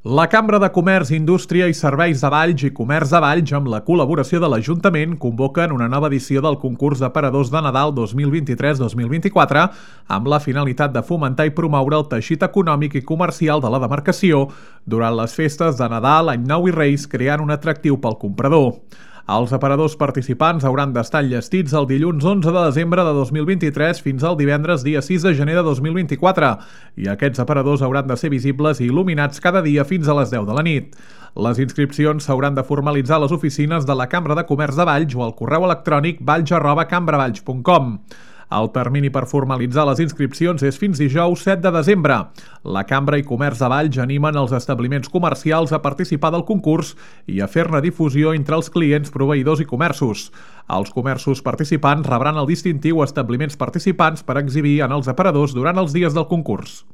La Cambra de Comerç, Indústria i Serveis de Valls i Comerç de Valls, amb la col·laboració de l'Ajuntament, convoquen una nova edició del concurs d'aparadors de Nadal 2023-2024 amb la finalitat de fomentar i promoure el teixit econòmic i comercial de la demarcació durant les festes de Nadal, Any Nou i Reis, creant un atractiu pel comprador. Els aparadors participants hauran d'estar enllestits el dilluns 11 de desembre de 2023 fins al divendres dia 6 de gener de 2024 i aquests aparadors hauran de ser visibles i il·luminats cada dia fins a les 10 de la nit. Les inscripcions s'hauran de formalitzar a les oficines de la Cambra de Comerç de Valls o al correu electrònic valls@cambravalls.com. El termini per formalitzar les inscripcions és fins dijous 7 de desembre. La Cambra i Comerç de Valls animen els establiments comercials a participar del concurs i a fer-ne difusió entre els clients, proveïdors i comerços. Els comerços participants rebran el distintiu Establiments Participants per exhibir en els aparadors durant els dies del concurs.